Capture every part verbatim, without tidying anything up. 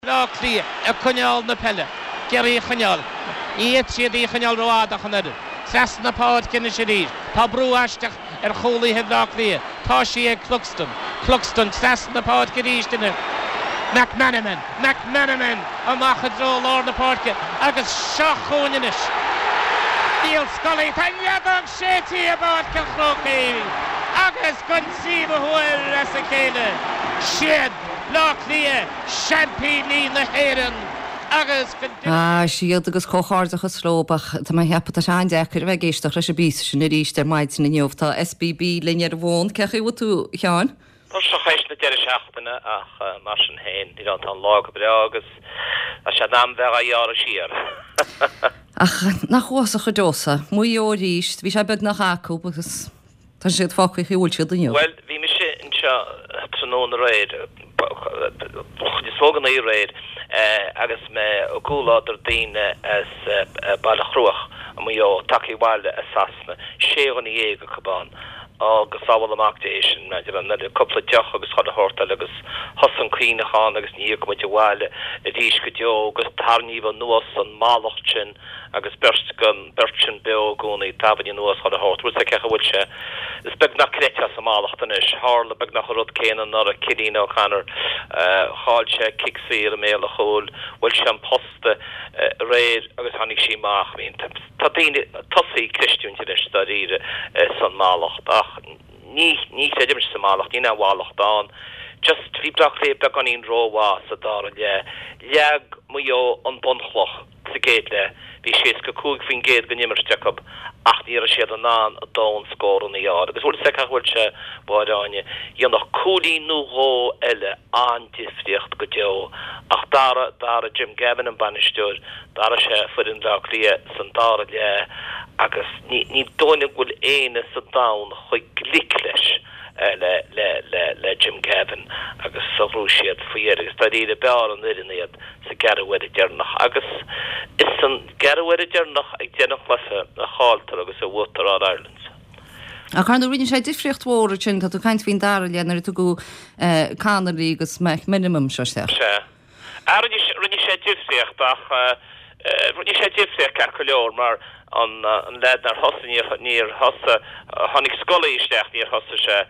Bleá Cliath ag coinneáil na peile, ag iarraidh í a choinneáil. Ní fhéadfaidh siad í a choinneáil rófhada ach an oiread. Trasna na páirce anois arís. Tá brú aisteach ar chúlaithe Bhleá Cliath. Tá sí ag Cluxton. Cluxton trasna na páirce arís anois. McManamon, McManamon amach i dtreo lár na páirce agus seo chugainn anois Niall Scully. Tá an fheadóg séidte i bPáirc an Chrócaigh agus don tríú huair as a chéile, siad Bleá Cliath seaimpíní na hÉireann agus go Ah, siad agus comhghairdeachas leo ach tá mé ag ceapadh tá sé an-deacair a bheith ag éisteacht leis an bpíosa sin arís ar maidin inniu. Tá SBB linn ar an bhfón. Cén chaoi a bhfuil tú, a Sheáin? Tuirseach théis na deireadh seachtaine ach mar sin féin, you know, tá an lá go breá agus tá sé in am bheith á ghearradh siar. Ach nach uafásach go deo é? Maigh Eo arís, bhí sé beagnach acu agus tá siad fágtha faoi bhfuil siad inniu. Bhuel, bhí mise anseo tráthnóna aréir, chuid is mó den oíche aréir, agus mé i gcomhluadar daoine as Baile Chruaich i Maigh Eo, tagtha abhaile as Sasana, sé dhuine dhéag acu ann, agus sábháil amach dé sin, maidir le cúpla deoch agus chuile shórt eile agus thosaigh an caoineachán agus ní thiocfaidh muid abhaile arís go deo agus tarraingíodh anuas an mallacht sin agus beirt den beirt sin beo i gcónaí, tabainn anuas chuile shórt, bhfuil 's agat cén chaoi a bhfuil sé, is beag nach gcreidfeá sa mallacht anois, tharla beagnach an rud céanna anuraidh, Cillian O'Connor, chaill sé cic saor i mbéal an chúil, bhuail sé an posta aréir agus tháinig sí amach, I mean tá daoine tosaithe ag creistiúint anois dáiríre san mallacht ach ní ní chreidimse sa mallacht, níl aon mhallacht ann, just bhí Bleá Cliath beagáinín rómhaith sa dara leath, leag Maigh Eo an bunchloch. Sa gcéad leath, bhí seasca cúig faoin gcéad den imirt acu ach ní raibh siad in ann a ndóthain scóranna a fháil. Agus bhfuil 's agat cén chaoi a bhfuil sé, a Mháire Áine, dhéanfadh cúilín nó dhó eile an-difríocht go deo. Ach d'athraigh, d'athraigh Jim Gavin an bainisteoir, d'athraigh sé foireann Bhaile Átha Cliath san dara leath agus ní, ní dóigh liom go bhfuil éinne sa domhan a chuaigh glic leis, le, le, le, le Jim Gavin agus ghnóthaigh siad faoi dheireadh agus dáiríre b'fhearr an fhoireann iad. sa gceathrú uaire deireanach agus is san gceathrú uaire deireanach ag deireadh an chluiche a chailltear agus a bhuaitear All Irelands. Ach ar ndóigh rinne sé difríocht mhór ansin, tá tú ag caint faoin dara leath nuair a tugadh Connolly agus McManamon seo isteach. Sea. Ah, rinne rinne sé difríocht ach rinne sé difríocht ceart go leor mar an leaid nár thosaigh, níor, níor thosaigh, tháinig Scully isteach, níor thosaigh sé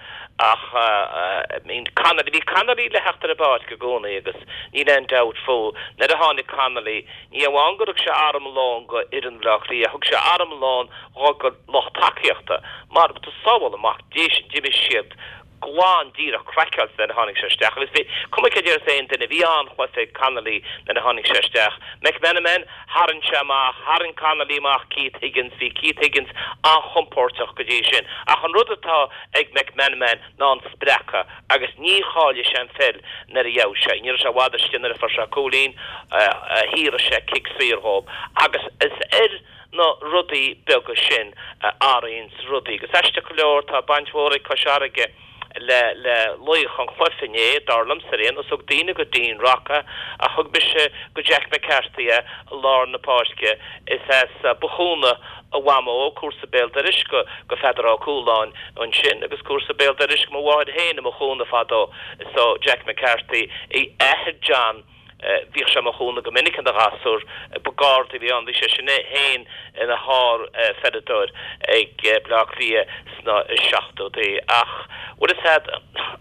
ach I mean Connolly, bhí Connolly le theacht ar an bpáirc i gcónaí agus níl aon dabht fú, nuair a tháinig Connolly, ní amháin gur thug sé armlón go fhoireann Bhaile Átha Cliath, thug sé armlón go lucht tacaíochta mar tá sábháil amach d'imigh siad glan díreach craiceáilte nuair a tháinig sé isteach agus bhí, cuma céard a déarfas aon duine, bhí an-chluiche ag Connolly nuair a tháinig sé isteach. McManamon, tharraing sé amach, tharraing Connolly amach Keith Higgins, bhí Keith Higgins an-chompóirteach go dtí sin ach an rud atá ag McManamon ná an spreacadh agus ní chaillfidh sé an pheil nuair a gheobhaidh sé í. Ní raibh sé i bhfad istigh nuair a fuair sé cúilín, shaothraigh sé cic saor dhóibh agus is ar na rudaí beaga sin a athraíonns rudaí. Agus aisteach go leor, tá baint mhór ag Cois Fharraige le le laoch an chluiche inné, dar liomsa ar aon nós. Thug daoine go Dean Rock é, ach thug mise go Jack McCarthy é i lár na páirce. Is as Bothúna a mhamó, comharsa béal dorais go go Pheadar Ó Cualáin ansin, agus comharsa béal dorais go mo mháthair féin i mBothúna fadó. So Jack McCarthy, a athair John, Bhíodh sé i mBothúna go minic ina ghasúr, ba Garda a bhí ann, bhí sé sin é féin ina shár-pheileadóir ag Bleá Cliath sna seachtóidí. Ach, bhfuil fhios a'd,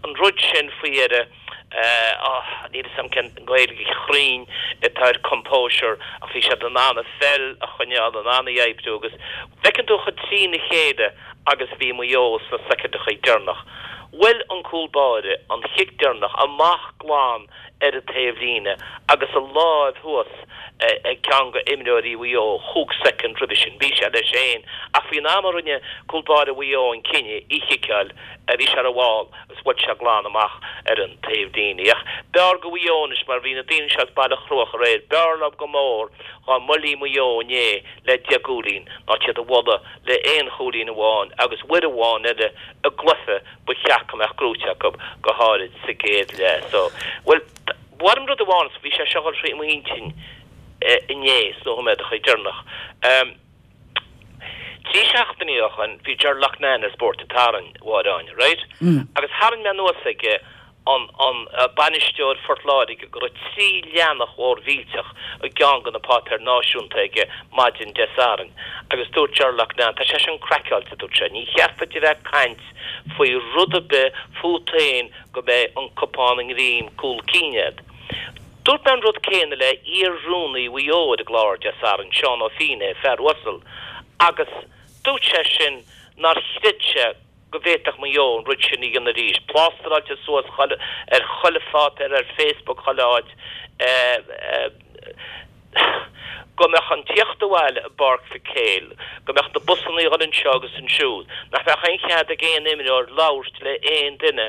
an rud sin faoi dheireadh, níl fhios a'm cén Ghaeilge chruinn atá ar composure ach bhí siad in ann an pheil a choinneáil, in ann í a oibriú agus bhfeiceann tú chomh trína chéile agus a bhí Maigh Eo sna soicindeachaí deireanach. Bhuail an cúl báire an chic deireanach amach glan ar an taobhlíne agus a láimh thuas ag ceann de imreoirí Mhaigh Eo chúig soicind roimhe sin. Bhí sé leis féin ach faoin am a rinne cúl báire Mhaigh Eo an cinneadh í chiceáil bhí sé rómhall agus bhuail sé glan amach ar an taobhlíne. Ach b'fhearr go Mhaigh Eo anois mar bhí na daoine seo as Baile Chruaich aréir, b'fhearr leo go mór dhá mbuailfí Maigh Eo inné le deich gcúilín ná iad a bhualadh le aon chúilín amháin agus uair amháin eile i gcluiche ba cheart go mbeadh gnóite acu, go háirid sa gcéad leath. So, bhuel, ba mhaith liom rud amháin, bhí sé seo ag dul thrí m'intinn inné sna nóiméadacha deireanach. Trí seachtainí ó shoin, bhí Ger Loughnane ar Spórt an tSathairn, a Mháire Áine, right? Agus tharraing mé anuas aige an an bainisteoir Phort Láirge go raibh trí leathanach mhór mhillteach i gceann de na páipéir náisiúnta aige maidin Dé Sathairn agus dúirt Ger Loughnane tá sé sin craiceáilte dúirt sé ní cheart duit a bheith ag caint faoi rud ar bith fút féin go mbeidh an cupán i ngreim cúl cinn agat. Dúirt mé an rud céanna le iar-rúnaí Mhaigh Eo ar an gclár Dé Sathairn Seán Ó Fínné fear uasal agus dúirt sé sin nár chreid sé go bhféadfadh Maigh Eo an rud sin a dhéanamh arís. Plástaráilte suas ar chuile pháipéar ar Facebook chuile áit go mbeadh an tíocht abhaile i bPáirc Mhic Éil, go mbeadh na busanna ag dul anseo agus ansiúd, nach mbeadh aon chead ag aon imreoir labhairt le aon duine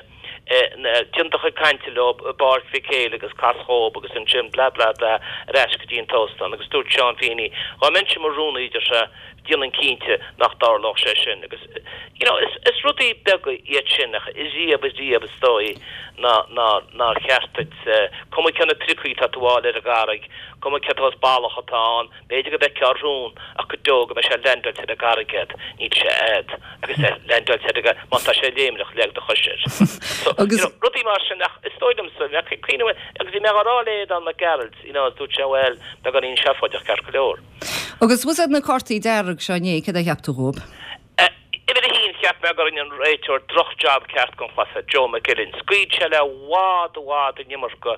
déan do chuid cainte leo i bPáirc Mhic Éil agus cas chucu agus ansin blah blah blah ar ais go dtí an t-óstán agus dúirt Seán Feeney dá mbeinnse mar rúnaí deir sé dhéanfainn cinnte nach dtarlódh sé sin agus you know is is rudaí beaga iad sin ach is riamh is riamh is dóigh ná ná nár cheart duit cuma cé na priocaí atá tú a fháil ar an gcarraig cuma cé saghas bealach atá ann b'fhéidir go bhfeicfeá rún ach go deo go mbeidh sé leaindeáilte ar an gcarraig agat níl sé agat agus é leaindeáilte agat má tá sé léimneach leag do chois air. So you know rudaí mar sin ach is dóigh liomsa bheadh cuimhne agus bhí mé á rá le Aodán Mac Gearailt you know dúirt sé bhuel beagáinín seafóideach ceart go leor. Agus was na cártaí dearg seo inné cad a cheap tú dhóibh? Uimhir a haon cheap mé go rinne an réiteoir drochjab ceart den chluiche Joe McGillen. Scaoil sé le i bhfad i bhfad an iomarca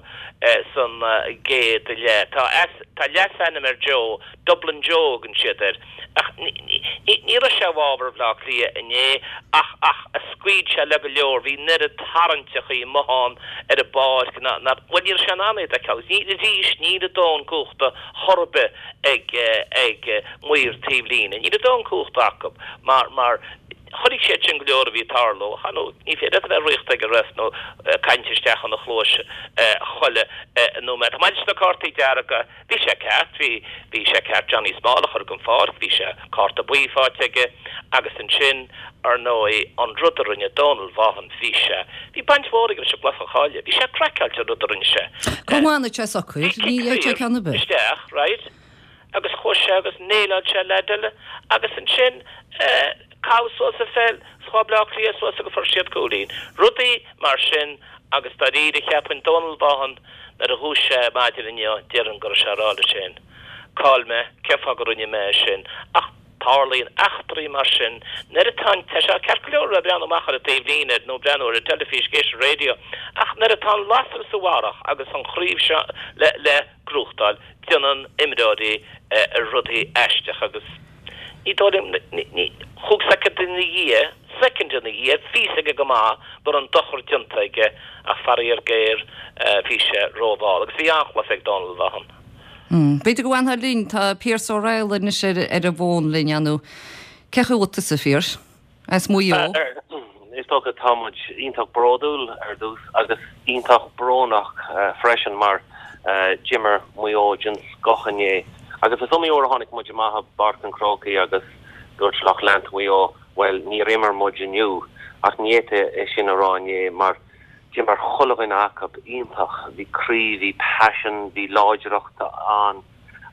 san gcéad leath. Tá tá leasainm ar Joe, Dublin Joe thugann siad air. Ach ní raibh sé i bhfabhar Bhaile Átha Cliath inné ach ach a scaoil sé le go leor, bhí an oiread tarraingteachaí amuigh ann ar an bpáirc ná ná bhuel ní raibh sé in ann iad a fheiceáil. Ní arís níl a dóthain cumhachta chor ar bith ag ag maoir taobh líne. Níl a dóthain cumhachta acu mar mar chonaic siad sin go leor a bhí ag tarlú ach nó ní féidir leat a bheith riachta ag an ref nó caint isteach ina chluais chuile nóiméad. Maidir leis na cártaí dearga bhí sé ceart bhí bhí sé ceart Johnny Small a chur den pháirc bhí sé cárta buí faighte aige agus ansin ar ndóigh an rud a rinne Donal Vaughan bhí sé bhí baint mhór aige leis an gcluiche a chailleadh bhí sé craiceáilte an rud a rinne sé. Go bhfanfaidh sé socair ní sé ceann ar bith. Isteach right agus chuaigh sé agus néileáil sé leaid eile agus ansin caitheadh suas an pheil chuaigh Bleá Cliath suas agus fuair siad cúilín. Rudaí mar sin agus dáiríre cheapfainn Donal Vaughan nuair a dhúisigh sé maidin inniu déarfainn go raibh sé ag rá leis féin. Cá'il mé cén fáth go rinne mé é sin ach tarlaíonn eachtraí mar sin nuair atá tá sé ceart go leor le breathnú amach ar an taobhlíne nó breathnú ar an teilifís géis raidió ach nuair atá an lasair sa bharrach agus an chraobh seo le le gnóthachtáil déanann imreoirí rudaí aisteach agus ní dóigh ní chúig soicind ina dhiaidh soicind ina dhiaidh bhí a fhios aige go maith go raibh an dochar déanta aige ach faraor géar bhí sé rómhall agus bhí an-chluiche ag Donal Vaughan. B'fhéidir go bhfanfá linn tá Pearse Ó Raghallaigh anois ar ar an bhfón linn anú. Cé chaoi tusa Phearse? As Maigh Eo. Is dócha tá muid iontach bródúil ar dtús agus iontach brónach freisin mar d'imir Maigh Eo den scoth inné. Agus is iomaí uair a tháinig muid amach i bPáirc an Chrócaigh agus dúirt lucht leanta Mhaigh Eo well níor imir muid inniu ach ní fhéadfaí é sin a rá inné mar d'imir chuile dhuine acu iontach bhí croí bhí passion bhí láidreacht ann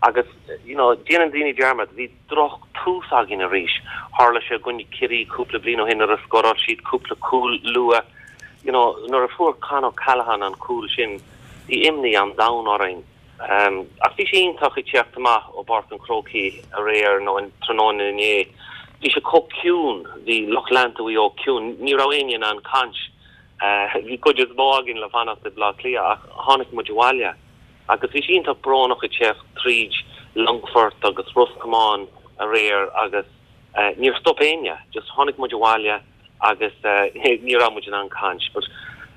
agus you know déanann daoine dearmad bhí droch tús againn arís tharla sé i gcoinne Ciarraí cúpla bliain ó shin nuair a scóráil siad cúpla cúl luath you know nuair a fuair Con O'Callaghan an cúl sin bhí imní an domhain orainn um, ach bhí sé iontach ag teacht amach ó Pháirc an Chrócaigh aréir nó an tráthnóna inné bhí sé chomh ciúin bhí lucht leanta Mhaigh Eo ciúin ní raibh éinne in ann caint bhí cuid is mó againn le fanacht i Bleá Cliath ach tháinig muid abhaile agus bhí sé iontach brónach ag teacht tríd Longfort agus Ros Comáin aréir agus uh, níor stop éinne just tháinig muid abhaile agus uh, ní raibh muid in ann caint but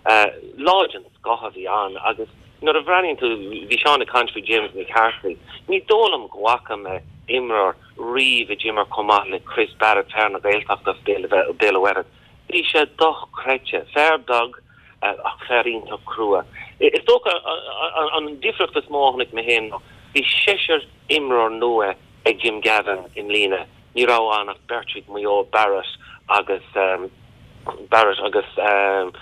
uh, lá den scoth a bhí ann agus nuair a bhreathnaíonn tú bhí Seán ag caint faoi James McCarthy ní dóigh liom go bhfaca mé imreoir riamh a d'imir chomh maith le Chris Barrett fear na Gaeltachta Béal Mhuirthead. Bhí sé dochreidte fear beag ach fear iontach crua. Is dócha an difríocht is mó a chonaic mé féin bhí seisear imreoir nua ag Jim Gavin i mbliana. Ní raibh ann ach beirt ag Maigh Eo Barrett agus um, Barrett agus um,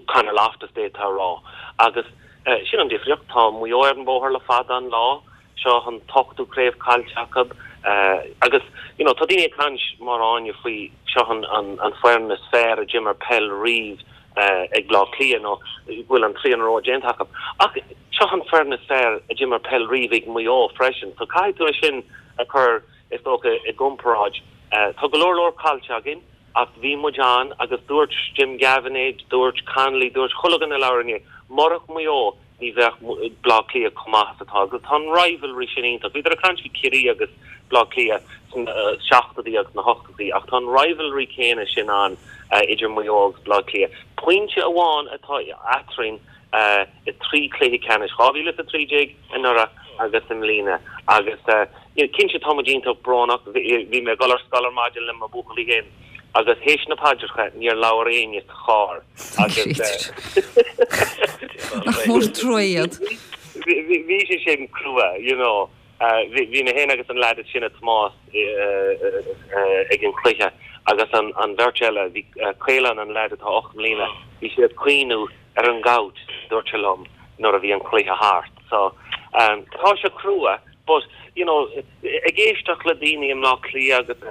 Conor Loftus d'fhéadfá rá. Agus uh, sin an difríocht tá Maigh Eo ar an bóthar le fada an lá seo an t-ochtú craobh caillte acu uh, agus you know, tá daoine ag caint mar Áine faoi seo an, an, an foireann is fearr a d'imir peil riamh ag Bleá Cliath nó go bhfuil an trí in a row déanta acu. Ach seo an foireann is fearr a d'imir peil riamh ag Maigh Eo freisin, so caithfidh tú é sin a chur is dócha i gcomparáid. Tá go leor leor caillte againn ach bhí muid ann agus dúirt Jim Gavin é, dúirt Connolly, dúirt chuile dhuine a labhair inné, murach Maigh Eo ní bheadh Bleá Cliath chomh maith is atá agus tá an rivalry sin iontach. Bhíodar ag caint faoi Ciarraí agus Bleá Cliath sna seachtóidí agus na hochtóidí ach tá an rivalry céanna sin ann idir Maigh Eo agus Bleá Cliath. Pointe amháin atá eadrainn i trí chluiche ceannais, dhá mhíle is a trí déag anuraidh agus i mbliana agus cinnte tá muid iontach brónach. Bhí mé ag dul ar scoil ar maidin le mo bhuachaillí féin agus théis na paidreacha níor labhair éinne sa charr agus Nach mór trua iad. Bhí sé sin crua, you know. Bhí mé féin agus an leaid is sine Tomás ag an chluiche agus an an bheirt eile, bhí Caolán an leaid atá ocht mbliana, bhí sé ag caoineadh ar an gcouch, dúirt sé liom, nuair a bhí an cluiche thart. So tá sé crua but, you know, ag éisteacht le daoine i mBleá Cliath agus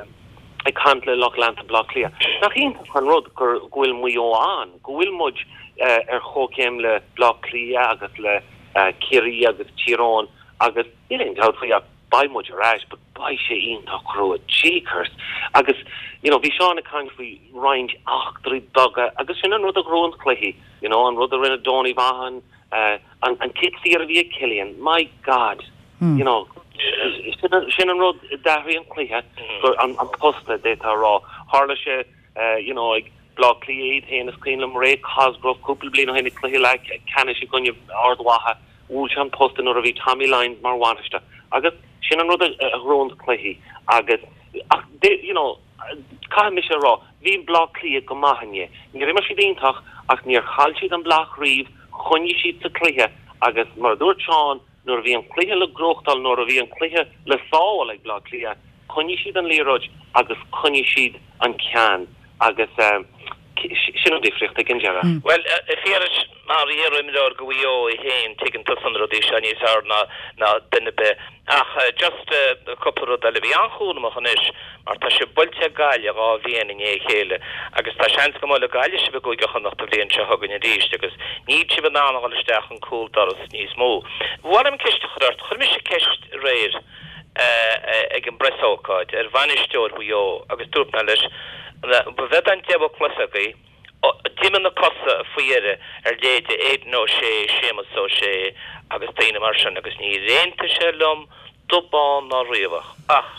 ag caint le lucht leanta Bhleá Cliath, nach iontach an rud gur go bhfuil Maigh Eo ann, go bhfuil muid ar chomhchéim le Bleá Cliath agus le Ciarraí agus Tír Eoghain agus níl aon dabht faoi ach beidh muid ar ais but beidh sé iontach crua, jeekers! Agus, you know, bhí Seán ag caint faoi roinnt eachtraí beaga agus sin an rud a ghnóthaíonn cluichí, you know, an rud a rinne Donie Vaughan, an an cic saor a bhí ag Cillian, my God, you know, sin an rud a d'athraigh an cluiche, gur an an posta, d'fhéadfá a rá. Tharla sé, you know, ag Bleá Cliath iad féin, is cuimhin liom Ray Cosgrove cúpla bliain ó shin ag cluiche leathcheannais i gcoinne Ard Mhacha, bhuail sé an posta nuair a bhí Tommy Lyons mar bhainisteoir agus sin an rud a ghnóthaíonn cluichí agus ach you know, caithfidh mise a rá, bhí Bleá Cliath go maith inné. Níor imir siad iontach ach níor chaill siad an bláth riamh, choinnigh siad sa chluiche agus mar a dúirt Seán, nuair a bhí an cluiche le gnóthachtáil, nuair a bhí an cluiche le sábháil ag Bleá Cliath, choinnigh siad an liathróid agus choinnigh siad an ceann agus sin an difríocht ag an deireadh. Bhuel, a Phiarais, mar iar-imreoir do Mhaigh Eo féin, tuigeann tusa na rudaí seo níos fearr ná ná duine ar bith. Ach just cúpla rud eile. Bí an-chúramach anois mar tá sibh buailte ag Gaillimh dhá bhliain i ndiaidh a chéile agus tá seans go mbuailfidh Gaillimh sibh i gCúige Chonnacht an bhliain seo chugainn arís agus níl sibh in ann a dhul isteach an cúldoras níos mó. Ba mhaith liom ceist a chur ort. Chuir mise ceist aréir ag an bpreasócáid ar bhainisteoir Mhaigh Eo agus dúirt mé leis, ba bheag an deichiú cluiche agaibh, d'imigh na cosa faoi dheireadh ar leithéide Aidan O'Shea, Séamus O'Shea agus daoine mar sin agus níor aontaigh sé liom dubh bán ná riabhach ach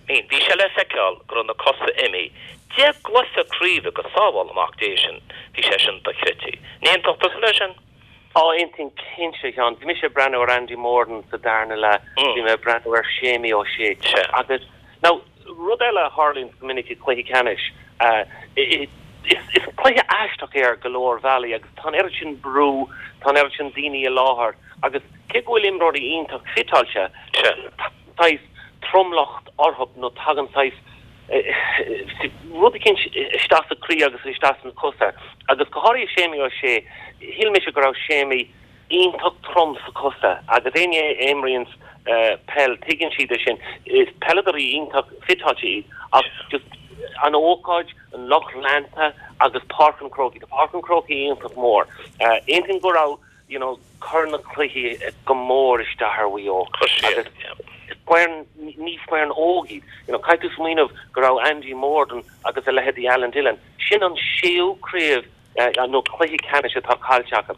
I mean bhí sé le feiceáil go raibh na cosa imithe. Deich gcluiche craoibhe go sábhála Mac Dé sin, bhí sé sin dochreidte. An aontódh tusa leis sin? Á, aontaím cinnte, a Sheáin. Bhí mise ag breathnú ar Andy Moran sa darna leath, bhí mé ag breathnú ar Séimí O'Shea agus now rud eile a tharlaíonn go minic i gcluichí ceannais, is cluiche aisteach é ar go leor bealaí agus tá an oiread sin brú, tá an oiread sin daoine i láthair agus cé go bhfuil imreoirí iontach fiteáilte, tagann saghas tromlach orthu nó tagann saghas rud eicínt isteach sa chroí agus isteach sna cosa agus go háirithe Séimí O'Shea, shíl mise go raibh Séimí iontach trom sa chosa agus éinne a imríonns peil tuigeann siad é sin. Is peileadóirí iontach fiteáilte iad ach just an ócáid, an lucht leanta agus Páirc an Chrócaigh. Tá Páirc an Chrócaigh iontach mór. Aontaím go raibh you know cur na cluichí go mór isteach ar Mhaigh Eo agus foireann, ní foireann óg iad. You know caithfidh tú smaoineamh go raibh Andy Moran agus a leithéidí Alan Dillon, sin an séú craobh nó cluiche ceannais atá caillte acu.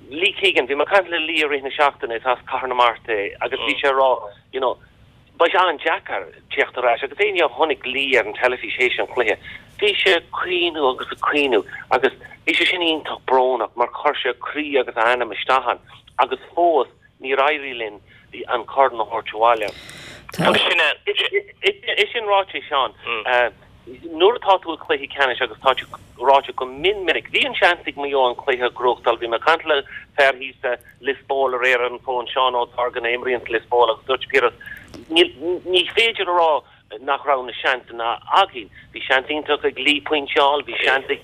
Lee Keegan, bhí mé ag caint le Lee i rith na seachtaine, is as Cathair na Mart é, agus bhí sé ag rá, you know, beidh sé an-deacair teacht ar ais agus éinne a chonaic Lee ar an teilifís théis an chluiche, bhí sé ag caoineadh agus ag caoineadh agus bhí sé sin iontach brónach mar chuir sé a chroí agus a anam isteach ann agus fós níor éirigh linn an corn a thabhairt abhaile. Agus sin é. É sin ráite, a Sheáin, nuair atá tú i gcluiche ceannais agus tá sé ráite go mion minic, bhí an seans ag Maigh Eo an cluiche a ghnóthachtáil. Bhí mé ag caint le fear thíos i Lios Póil aréir ar an bhfón, Seán Ó Dorgan a imríonn Lios Póil agus dúirt Piaras, ní féidir a rá nach raibh na seansanna againn. Bhí seans iontach ag Lee pointe a fháil, bhí seans ag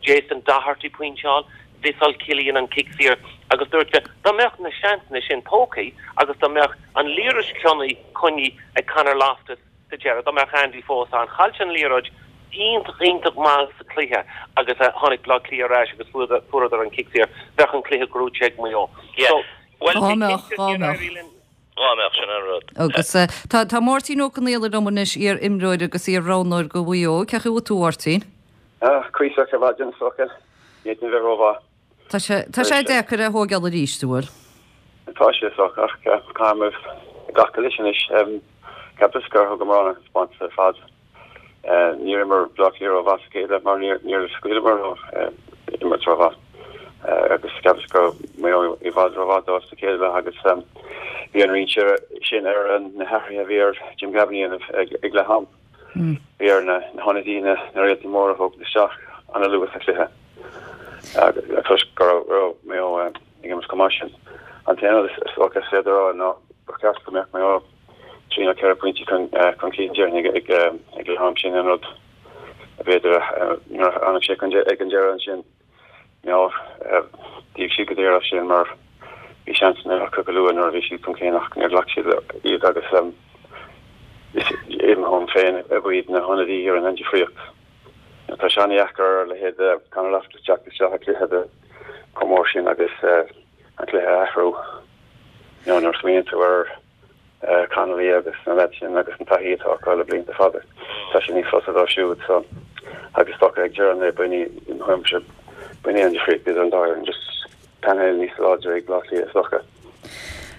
Jason Doherty pointe a fháil, mhissáil Cillian an cic saor agus dúirt sé dá mbeadh na seansanna sin tógtha agus dá mbeadh an liathróid coinnithe ag Conor Loftus sa deireadh, dá mbeadh Andy fós ann, chaill sé an liathróid, iontach iontach maith sa cluiche agus tháinig Bleá Cliath ar ais agus fuaireadar an cic saor, bheadh an cluiche gnóite ag Maigh Eo. So, well, Dhá mbeadh, dhá mbeadh. Dhá mbeadh, sin an rud. Agus tá tá Máirtín Ó Conaola liom anois, iar-imreoir agus iar-roghnóir do Mhaigh Eo. Cén chaoi a bhfuil tú, a Mháirtín? Ah, cuíosach ar maidin, is dócha. Ní fhéadfainn a bheith rómhaith. Tá sé tá sé deacair a thógáil arís, an bhfuil? Tá sé, is dócha, ach caithfidh muid glacadh leis anois. Cheapas gur thugamar an-taispeántas ar fad. Níor imir Bleá Cliath rómhaith sa chéad leath mar níor scaoileamar leo imirt rómhaith. Agus cheapas go raibh Maigh Eo i bhfad rómhaith dóibh sa chéad leath agus bhí an rian sin ar na hathruithe a bhí ar Jim Gavin a dhéanamh ag leath am. Bhí ar na hionadaithe, na réaltaí móra a thógaint isteach an-luath sa chluiche toisc go raibh Maigh Eo ag imirt chomh maith sin. An t-aon rud is dócha is féidir a rá ná ba cheart go mbeadh Maigh Eo trí nó ceithre phointe chun cinn déarfainn ag leath am sin an rud b'fhéidir nuair a tháinig sé ag an deireadh ansin nó d'íoc siad go daor as sin mar bhí seansanna acu go luath nuair a bhí siad chun cinn ach níor ghlac siad iad agus is i mo thuairim féin ab iad na hionadaithe a rinne an difríocht. Tá sé an-dheacair ar a leithéid de Conor Loftus teacht isteach i gcluiche de chomh mór sin agus an cluiche a athrú. Nuair a smaoiníonn tú ar Connolly agus na leaids sin agus an taithí atá acu le blianta fada, tá sé níos fusa dóibh siúd so agus is dócha ag deireadh an lae b'in í, i mo thuairimse, b'in í an difríocht idir an dá fhoireann, just painéal níos láidre ag Bleá Cliath is dócha.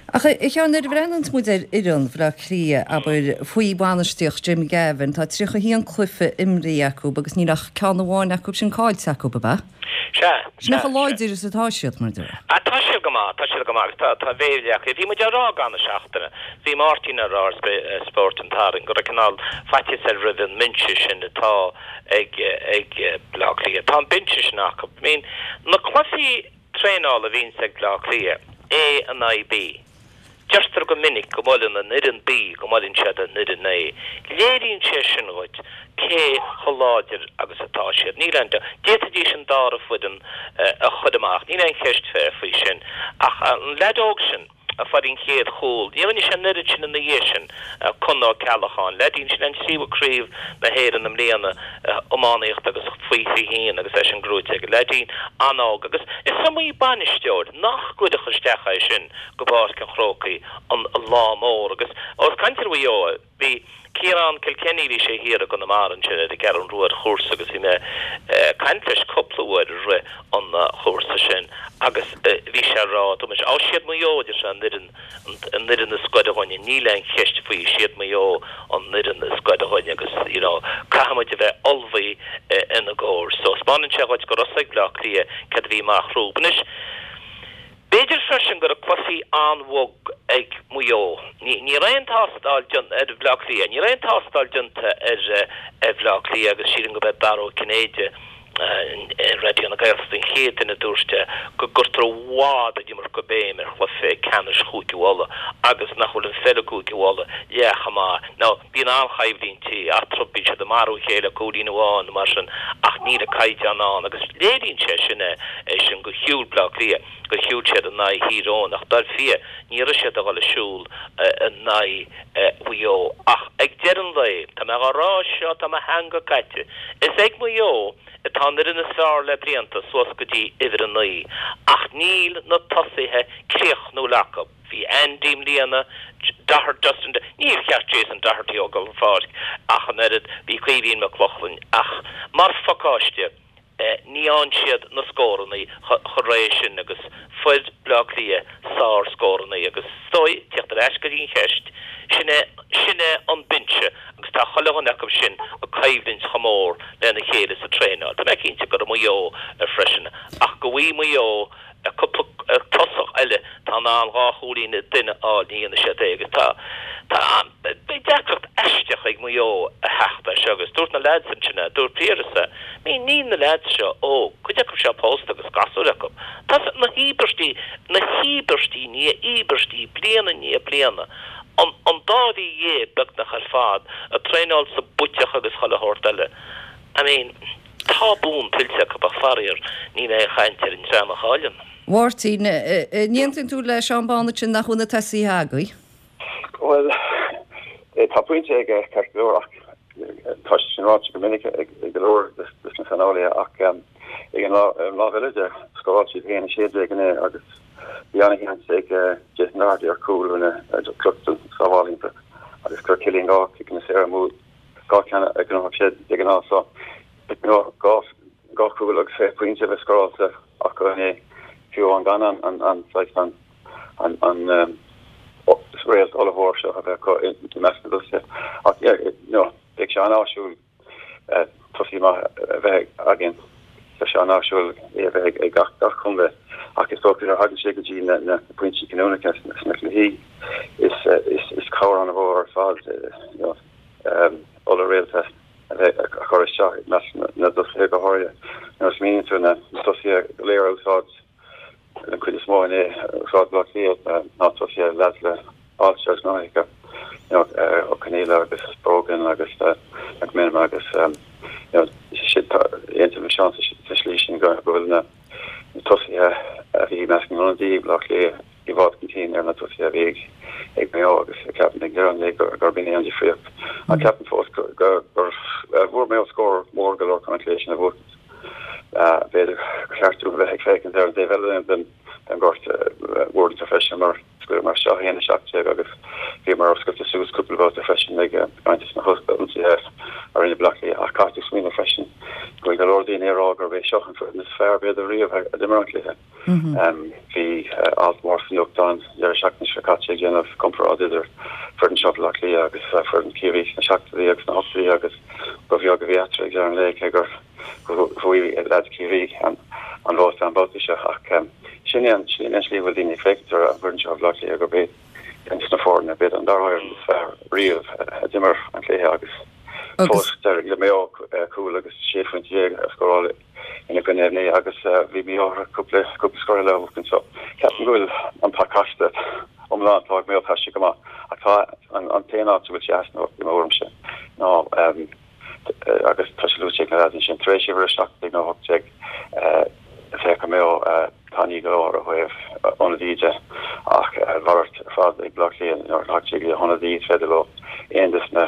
Ach a Sheáin, nuair a bhreathnaíonns muid ar fhoireann Bhaile Átha Cliath, abair, faoi bhainistíocht Jim Gavin, tá tríocha a haon cluiche imrithe acu agus níl ach ceann amháin acu sin caillte acu, ab ea? Sea, Sin é chomh láidir is atá siad, mar a déarfá. Ah, tá siad go maith, tá siad go maith agus tá, tá béile acu. Bhí muid á rá i gcaitheamh na seachtaine, bhí Máirtín á rá ar Spórt an tSathairn go raibh cineál faitíos air roimh an mbinse sin atá ag, ag Bleá Cliath. Tá an binse sin acu. I mean, na cluichí traenála a bhíonns ag Bleá Cliath, A in aghaidh B. Deirtear go minic go mbuaileann an fhoireann B, go mbuaileann siad an fhoireann A. Léiríonn sé sin dhuit cé chomh láidir agus atá siad. Níl aon dabht. D'fhéadfaidís an dara foireann a chur amach, níl aon cheist faoi sin. Ach an leaid óg sin a fuair an chéad chúl, ní rinne sé an oiread sin ina dhiaidh sin, Con Ó Ceallacháin, leaidín sin an tríú craobh na hÉireann i mbliana, iománaíocht agus faoi fiche haon agus eisean gnóite aige, leaidín an-óg agus is iomaí bainisteoir nach gcuirfeadh isteach é sin go Páirc an Chrócaigh an lá mór agus ós caint ar Mhaigh Eo, bhí Ciarán Kilkenny, bhí sé thiar i gConamara ansin ar an gCeathrú Rua ar chúrsa agus bhí mé ag caint leis cúpla uair i rith an chúrsa sin agus bhí sé ag rá, dúirt mise, á siad Maigh Eo, a deir sé, an fhoireann, an fhoireann is gaire dhúinne, níl aon cheist faoi, siad Maigh Eo an fhoireann is gaire dhúinne agus you know caithfidh muid a bheith ullmhaithe ina gcomhair. So 'speánann sé dhuit go raibh a fhios ag Bleá Cliath céard a bhí amach rompu. Anois, B'fhéidir freisin go raibh cluichí an-bhog ag Maigh Eo. Ní raibh aon tástáil déanta ar Bhleá Cliath. Ní raibh aon tástáil déanta ar Bhleá Cliath agus sílim gurb é Dara Ó Cinnéide ar Raidió na Gaeltachta an chéad duine a dúirt go gcuirtear i bhfad an iomarca béim ar chluiche ceannais Chúige Uladh agus nach bhfuil an pheil i gCúige Uladh leath chomh maith. Now, bíonn an-choimhlintí eatarthu, bíonn siad ag marú a chéile cúilín amháin nó mar sin ach níl an caighdeán ann agus léiríonn sé sin é sin gur shiúil Bleá Cliath. gur shiúil siad in aghaidh Thír Eoghain ach dar fia ní raibh siad ag dul ag siúl in aghaidh Mhaigh Eo. Ach ag deireadh an lae, tá mé dhá rá seo, tá mo theanga caite, is ag Maigh Eo atá an fhoireann is fearr le blianta suas go dtí uimhir a naoi ach níl na tosaithe críochnúil acu. Bhí Andy i mbliana, Doherty, Justin, níor cheart Jason Doherty a fhágáil an pháirc ach an oiread, bhí Caoimhín Mac Lochlainn ach mar phacáiste, Ní fhaigheann siad na scórannaí chomh réidh sin agus fuair Bleá Cliath sár-scórannaí agus is dóigh, tíocht ar ais go dtí an cheist, sin é, sin é an binse agus tá chuile dhuine acu sin ag coimhlint chomh mór lena chéile sa traenáil. Tá mé cinnte go raibh Maigh Eo freisin ach go bhfaighidh Maigh Eo cúpla tosach eile atá in ann dhá chúilín an duine a fháil, ní dhéanfaidh siad é agus tá, tá, beidh deacracht aisteach ag Maigh Eo a theacht as seo agus dúirt na leaids ansin é, dúirt Piaras é, I mean níl na leaids seo óg, cuid acu seo pósta agus gasúir acu. Tá na híobairtí, na híobairtí i ndiaidh íobairtí bliain i ndiaidh bliana, an, an dá mhí dhéag beagnach ar fad ag traenáil sa bpuiteach agus chuile shórt eile. I mean, tá bonn tuillte acu ach faraor níl aon chaint ar an dream a chailleann. Mháirtín, an aontaíonn tú le Seán Bán ansin nach bhfuil na tosaithe agaibh? Bhuel, tá pointe aige ceart go leor ach Tá sé sin ráite go minic ag go leor des na saineolaithe ach ag an lámh eile de, scóráil siad a haon a sé déag inné agus bhí an-sheans ag Jason Doherty ar chúl rinne Cluxton sábháil iontach agus chuir Cillian dhá ciceanna saora amú, dhá cheann a ghnóthaigh sé de ghnáth so dhá dhá chúl agus fiche pointe a bheith scóráilte acu inné fiú amháin gan an an saghas an an an réalt ollmhór seo a bheith acu i measc na dtosaithe. Ach yeah, you know, beidh sé an-áisiúil tosaí maith a bheith againn. Tá sé an-áisiúil é a bheith ag gach gach contae ach is dócha nuair a thagann sé go dtí na na pointí cinniúnacha sna cluichí is is is cabhair an-mhór ar fad you know, um, oll-réalta a bheith a chur isteach i measc na dtosaithe go háirithe. Nuair a smaoiníonn tú na tosaithe go léir a úsáid an chuid is mó inné úsáid Bleá Cliath ná tosaithe leaids le ailse agus gnóthacha you know, Ó Conghaile agus Brogan agus McMenamin agus you know, aontaím le Seán sa slí sin go bhfuil na tosaithe a bhí i measc na n-ionadaí Bleá Cliath i bhfad chun cinn ar na tosaithe a bhí ag Maigh Eo agus ceapaim ag deireadh an lae gurb in é an difríocht. Ach ceapaim fós gur bhfuair Maigh Eo scór mór go leor chun an cluiche sin a bhuachaint. B'fhéidir gur cheart dúinn a bheith ag féachaint ar an dtaobh eile den den ghort uaireanta freisin mar scaoileamar isteach a haon a seacht déag agus bhíomar oscailte suas cúpla babhta freisin ag roinnt de na hionsaithe a rinne Bleá Cliath ach caithfidh tú smaoineamh freisin go bhfuil go leor daoine ag rá gurb é seo an foireann is fearr b'fhéidir riamh a d'imir an cluiche. Bhí alt mór sa nuachtán deireadh seachtaine seo caite ag déanamh comparáid idir foireann seo Bhaile Átha Cliath agus foireann Chiarraí sna seachtóidí agus sna hochtóidí agus ba bheag a bhí eatarthu ag deireadh an lae cé gur bhuaigh leaids Chiarraí an vóta an babhta seo ach sin é an sin é an slí a bhfuil daoine ag féachaint ar an bhfoireann seo Bhaile Átha Cliath gurb é ceann de na foirne b'fhéidir an dara foireann is fearr riamh a d'imir an cluiche agus fós d'éirigh le Maigh Eo cúl agus sé phointe déag a scóráil ina gcoinne inné agus bhí Maigh Eo cúpla cúpla scór eile a bhuachan so ceapaim go bhfuil an pacáiste iomlán atá ag Maigh Eo tá sé go maith ach tá an an t-aon áit a bhfuil sé easnamh i mo thuairimse ná agus tá sé luaite ag na leaids ansin tar éis uimhir a seacht déag nó a hocht déag féach Maigh Eo tanaí go leor ó thaobh ionadaí de ach a mhalairt ar fad ag Bleá Cliath nuair a thagann sé go hionadaí is féidir leo aon des na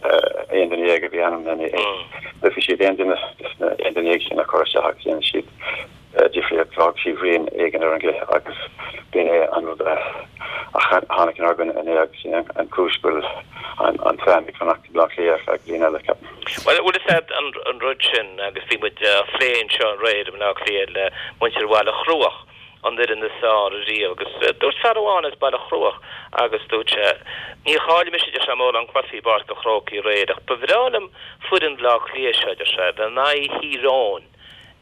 aon duine dhéag a bhí ainmnithe bhí siad aon duine des na aon duine dhéag sin a chur isteach agus dhéanann siad difríocht fág siad rian éigin ar an gcluiche agus b'in é an rud a tháinig inár gcoinne inné agus sin an chúis go bhfuil an t-ádh ag fanacht i mBleá Cliath ar feadh bliain eile, ceapaim. Bhuel, bhfuil fhios a'd an rud sin agus bhí muid á phlé anseo aréir i mBleá Cliath le muintir Bhaile Chruaich, an fhoireann is fearr ariamh agus dúirt fear amháin as Baile Chruaich agus dúirt sé, níor chaill mise, deir sé, mórán cluichí i bPáirc an Chrócaigh aréir ach ba bhreá liom foireann Bhleá Cliath seo, deir sé, a bheith in aghaidh Thír Eoghain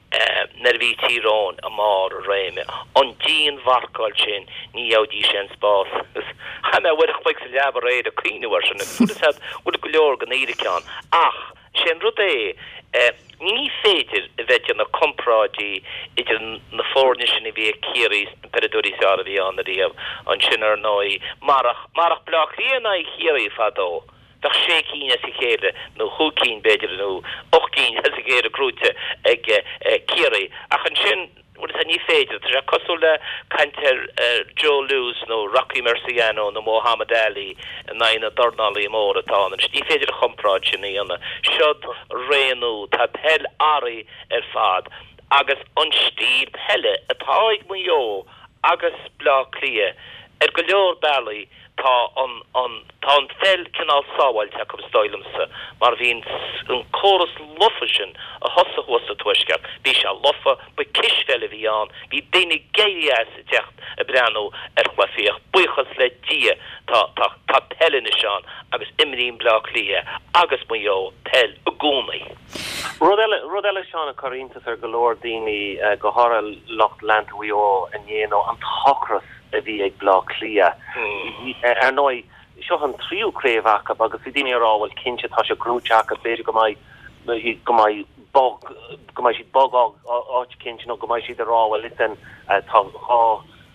nuair a bhí Tír Eoghain i mbarr a réime. An dianmharcáil sin, ní gheobhaidís aon spás. Agus chaith mé uair a chloig sa leaba aréir ag cuimhneamh air sin agus bhfuil fhios a'd, bhfuil go leor den fhíric ann. Ach sé an rud é, ní féidir a bheith ag déanamh comparáidí idir na foirne sin a bhí ag Ciarraí is na peileadóirí is fearr a bhí ann ariamh. Ansin ar ndóigh, marach, marach Bleá Cliath in aghaidh Chiarraí fadó, bheadh sé cinn as a chéile, nó chúig cinn b'fhéidir, nó ocht gcinn as a chéile gnóite ag Ciarraí. Ach ansin, bhfuil fhios a'd, ní féidir. Tá sé cosúil le caint ar Joe Louis nó Rocky Marciano nó Muhammad Ali in aghaidh na dornálaí móra atá ann anois. Ní féidir an chomparáid sin a dhéanamh. Seod ré nua. Tá peil athraithe ar fad agus an stíl peile atá ag Maigh Eo agus Bleá Cliath ar go leor bealaí, Tá an, an, tá an pheil cineál sábháilte acu is dóigh liomsa mar bhí an, an córas lofa sin a thosaigh thuas sa Tuaisceart, bhí sé lofa, ba cispheil a bhí ann, bhí daoine ag éirí as ag teacht ag breathnú ar chluichí ach buíochas le Dia tá, tá, tá peil anois ann agus imríonn Bleá Cliath agus Maigh Eo peil i gcónaí. Rud eile, rud eile Seán a chuir iontas ar go leor daoine, go háirithe lucht leanta Mhaigh Eo inné ná an t-ocras a bhí ag Bleá Cliath. Ar ndóigh, seo an tríú craobh acu agus bhí daoine ag rá, bhuel cinnte tá sé gnóite acu, b'fhéidir go mbeidh, go mbeidh bog, go mbeidh siad bog áit eicínt nó go mbeidh siad ag rá, bhuel listen, tá dhá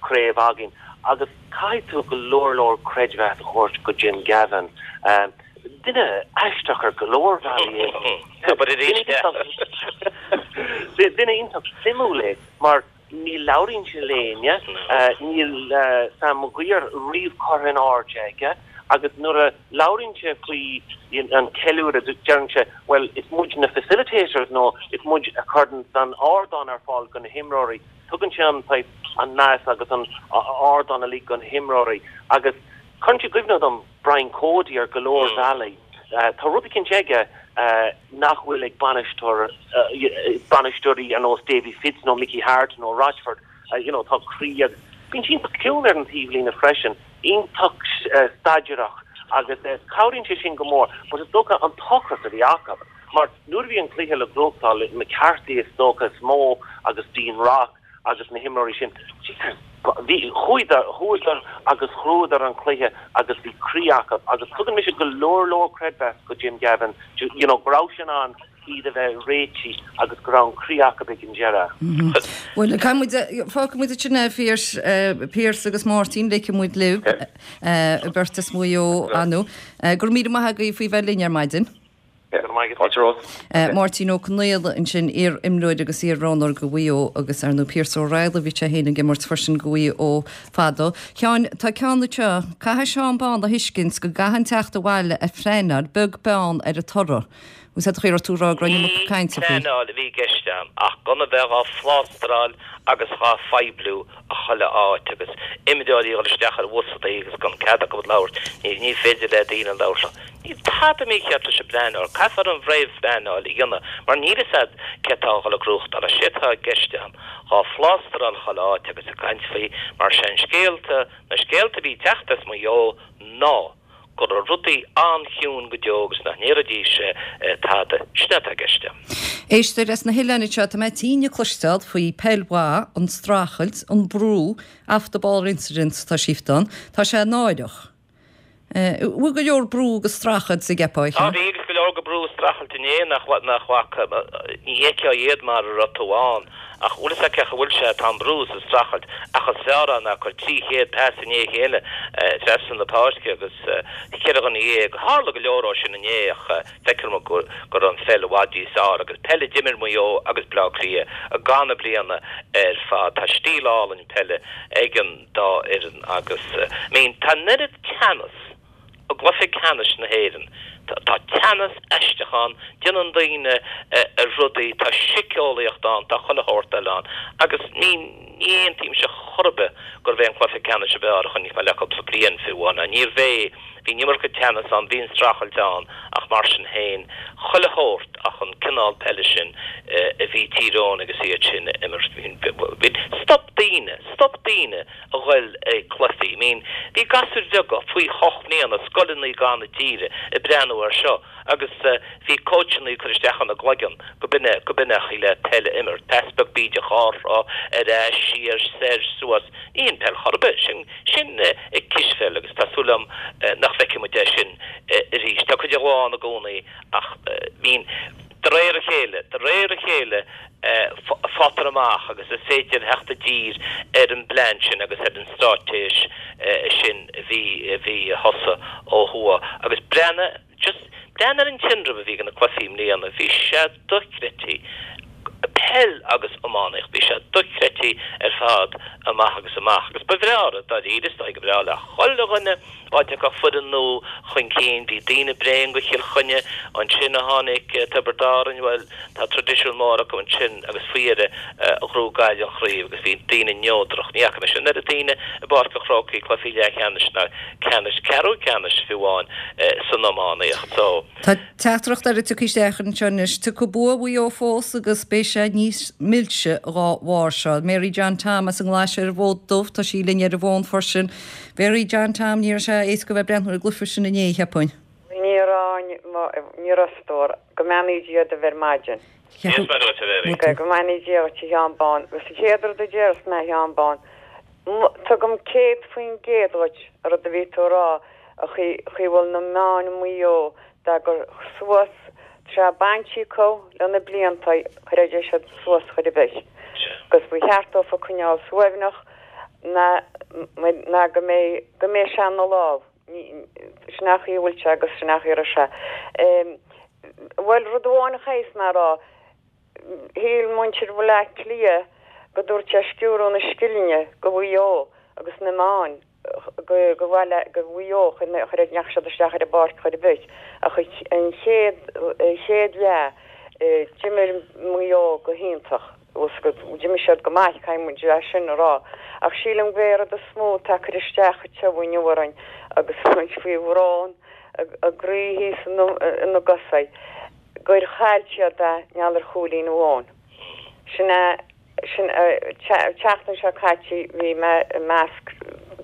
chraobh againn. Agus caithfidh tú go leor leor creidmheas a thabhairt go Jim Gavin. Duine aisteach ar go leor bealaí é. Duine iontach suimiúil é mar Ní labhraíonn sé le héinne, níl Sam Maguire riamh curtha in airde aige agus nuair a labhraíonn sé faoi an ceiliúradh deireann sé bhuel is muid na facilitators nó is muid a chuireann an ardán ar fáil do na himreoirí. Tugann sé an saghas an meas agus an ardán uilig do na himreoirí agus cuireann sé i gcuimhne dom Brian Cody ar go leor bealaí. Tá rud eicínt aige nach bhfuil ag bainisteoir bainisteoirí ar nós Davy Fitz nó Mickey Harte nó Rochford, you know, tá croí agus bíonn sé iontach ciúin ar an taobhlíne freisin, iontach staidéarach agus cabhraíonn sé sin go mór. But is dócha an t-ocras a bhí acu mar nuair a bhí an cluiche le gnóthachtáil McCarthy is dócha is mó agus Dean Rock agus na himreoirí sin, Jesus, bhí chuadar chuadar agus ghnóthaíodar an cluiche agus bhí croí acu agus tugann mise go leor leor creidmheas go Jim Gavin you know, go raibh sé in ann iad a bheith réitithe agus go raibh an croí acu ag an deireadh. Bhuel, caithfidh muid, fágfaidh muid ansin é, Pearse, Pearse agus Máirtín, ligfidh muid libh, beirt as Maigh Eo, anu. Go raibh míle maith agaibh faoi bheith linn ar maidin. Fáilte romhat. Máirtín Ó Conaola ansin, iar-imreoir agus iar-roghnóir go Mhaigh Eo agus ar ndóigh Pearse Ó Raghallaigh, bhí sé féin ag imirt freisin go Mhaigh Eo fadó. Sheáin, tá ceann anseo, caithfidh Seán Bán a thuiscint go gcaithfidh an teacht abhaile a phleanáil, beag beann ar an toradh. Bhfuil sé chaoi raibh tú ag rá go raibh an iomarca Ní cainte faoi. pleanáil a bhí i gceist a'm ach gan a bheith dhá phlástráil agus dhá phoibliú a chuile áit agus imreoirí a dhul isteach ar bhusannaí agus gan cead acu labhairt. Ní ní féidir le daoine labhairt. Níl tada mícheart leis an bpleanáil. Caithfear an réamhphleanáil a dhéanamh mar níl fhios a'd cé atá a dhul a gnóthachtáil. Is é atá i gceist a'm dhá phlástráil chuile áit agus ag caint faoi mar sé an scéalta, na scéalta a bhí ag teacht as Maigh Eo ná go raibh rudaí an-chiúin go deo agus nach ndéarfaidís tada. Sin atá i gceist a'm. Éisteoir as na hoileáin anseo, tá mé tinn ag cloisteáil faoi peil mhaith, an streachailt, an brú, off the ball incidents atá síoft ann. Tá sé náireach. Bhfuil go leor brú agus streachailt sa gceapá, Tá, bhí agus go leor go brú is streachailt inné nach nach bhfaca, ní fheicfeá iad mar a raibh tú ann. Ach bhfuil fhios agat cén chaoi a bhfuil sé, tá an brú is an streachailt ach is fearr é ná cur trí chéad pas i ndiaidh a chéile trasna na páirce agus ceithre dhuine dhéag. Tharla go leor ó sin inné ach feictear dom go raibh an pheil i bhfad níos fearr agus peil a d'imir Maigh Eo agus Bleá Cliath i gcaitheamh na bliana ar fad. Tá stíl álainn peile ag an dá fhoireann agus I mean tá an oiread teannas i gcluiche ceannais na hÉireann. Tá teannas aisteach ann, déanann daoine rudaí, tá síceolaíocht ann, tá chuile shórt eile ann agus ní ní aontaímse chor ar bith gurbh é an cluiche ceannais ab fhearr a chonaic mé le cúpla bliain fiú amháin. Níorbh é, bhí an iomarca teannas ann, bhí an streachailt ann ach mar sin féin, chuile shórt ach an cineál peile sin a bhí Tír Eoghain agus iad sin a imirt. Bhí, stop daoine, stop daoine a ghoil ag cluichí. I mean, bhí gasúir bheaga faoi hocht mbliana, scoileanna glan na tíre ag breathnú air seo agus bhí cóitseanna ag cur isteach ina gcloigeann go b'in é, go b'in é an chaoi le peil a imirt. Pas beag bídeach dhá threo, ar ais, siar, soir, suas. Ní hin peil chor ar bith. Sin, sin cispheil agus tá súil agam nach bhfeicfidh muid é sin arís. Tá cuid de dhó ann i gcónaí ach, I mean, de réir a chéile, de réir a chéile faightear amach agus is féidir theacht i dtír ar an bplean sin agus ar an straitéis sin a bhí, a bhí a thosaigh ó thuaidh. Agus breathnaigh, just breathnaigh ar an tinreamh a bhí ag na cluichí i mbliana, bhí sé dochreidte, peil agus iománaíocht, bhí sé dochreidte ar fad amach agus amach. Agus ba bhreá, dáiríre, is dóigh go breá le chuile dhuine dá dtiocfadh foireann nua chun cinn. Bhí daoine bréan go Chill Chainnigh, ansin a tháinig Tiobraid Árann, bhuel, tá traidisiún mór acu ansin agus faoi dheireadh ghnóthaigh Gaillimh an chraobh agus bhí daoine neodrach. Ní fhaca mise an oiread daoine i bPáirc an Chrócaigh, cluichí leathcheannais ná ceannais, ceathrú ceannais fiú amháin san iománaíocht. So. Tá teachtaireacht eile tugtha isteach anseo anois. Tiocfaidh bua Mhaigh Eo fós agus beidh sé níos milse dhá bharr seo. Mary John Tom as an nGlaise ar an bhFód Dubh, tá sí linn ar an bhfón freisin. Mary John Tom, ní raibh sé éasca bheith ag breathnú ar an gcluiche sin inné, cheapfainn. Ní raibh, ní raibh a stór. Go mbeannaí Dia daoibh ar maidin. Dia is Muire dhuit, a Mhary. Go mbeannaí Dia dhuit, a Sheáin Bhán. Agus an chéad rud a déarfas mé, a Sheáin Bhán, tugaim céad faoin gcéad dhuit an rud a bhí tú a rá, an chaoi a bhfuil na meáin i Maigh Eo dá gcur suas, tá sé bainte acu le na blianta, chuirfidís siad suas chor ar bith. Agus ba cheart dófa coinneáil suaimhneach ná ná go mbeidh go mbeidh sé ina lámh. Sin é an chaoi a bhfuil sé agus sin é an chaoi a raibh sé. Bhuel, rud amháin a chaithfeas mé a rá, shíl muintir Bhaile Átha Cliath go dtabharfaidh sé sciúradh na scileanna go Mhaigh Eo agus na meáin go go bhfuil go Mhaigh Eo chun chur ndeachaigh siad isteach ar an bpáirc chor ar bith ach an chéad chéad leath d'imir Maigh Eo go hiontach d'imir siad go maith caithfidh muid é sin a rá ach sílim go rud is mó atá ag cur isteach inniu orainn agus muid faoi bhrón a gcroí thíos ina gcosa gur chaill siad é mar gheall ar chúilín amháin. Sin é sin tseachtain seo caite bhí mé i measc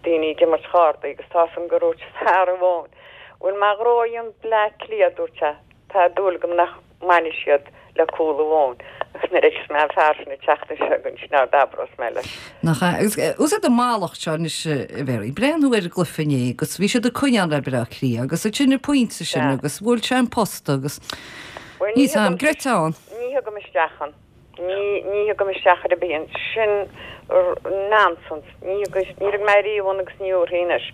daoine ag imirt chártaí agus tá san go dúirt fear amháin Bhuel má ghnóthaíonn Bleá Cliath dúirt sé tá dúil agam nach mbainfidh siad le cúl amháin agus nuair a fheicfeas mé an fear sin an tseachtain seo chugainn sin ard abrós mé leis. Nach ea? Agus úsáid an mallacht seo anois a Mhary. Breathnú ar an gcluiche inné agus bhí siad ag coinneáil le Bleá Cliath agus ansin an pointe sin agus bhuail sé an posta agus Bhuel ní níl 's a'm thugaim greiteán. ní thugaim isteach an. Ní ní thugaim isteach ar bith an sin nonsense. Ní thugas ní raibh mé riamh ann agus ní thabharfainn anois.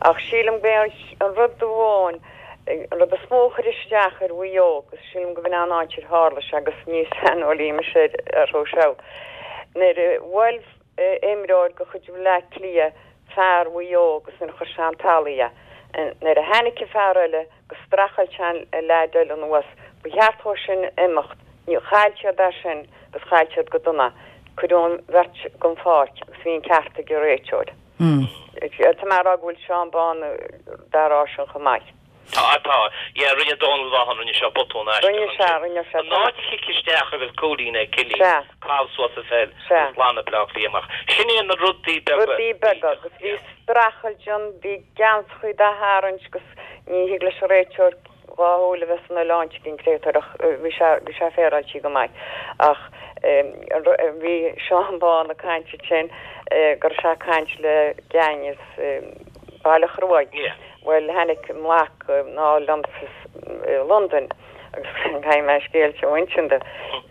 Ach sílim go an rud amháin an rud is mó a chuir isteach ar Mhaigh Eo agus sílim go bhfuil an áit ar tharla sé agus ní saineolaí mise ar seo. Nuair a bhuail imreoir de chuid Bhleá Cliath fear Mhaigh Eo agus nuair a chuir sé an talamh é. Nuair a tháinig an fear eile go streachailt sé an leaid eile anuas, ba cheart dó sin imeacht, ní chaill siad é sin agus chaill siad go dona. Cuireadh an bheirt den pháirc agus bhí an ceart ag an réiteoir. Tá mé ag rá go bhfuil Seán Bán dá rá sin chomh maith. Tá tá yeah rinne Donal Vaughan rinne sé botún Rinne sé rinne sé An áit a chic isteach agus cúilín ag Cillian Sea. Cá suas a fel Sea. lana Bleá Cliath amach. Sin é na rudaí beaga. Rudaí beaga agus bhí streachailt ann bhí geansachaí dá tharraingt agus ní thig leis an réiteoir dhá shúil a bheith san oileán cinn créatúr ach bhí sé bhí sé féaráilte go maith ach bhí Seán Bán ag caint sin gur sé ag caint le gang as Baile Chruaich. Yeah. Well tháinig mac ná liom London agus caithfidh mé scéal seo a insint dó.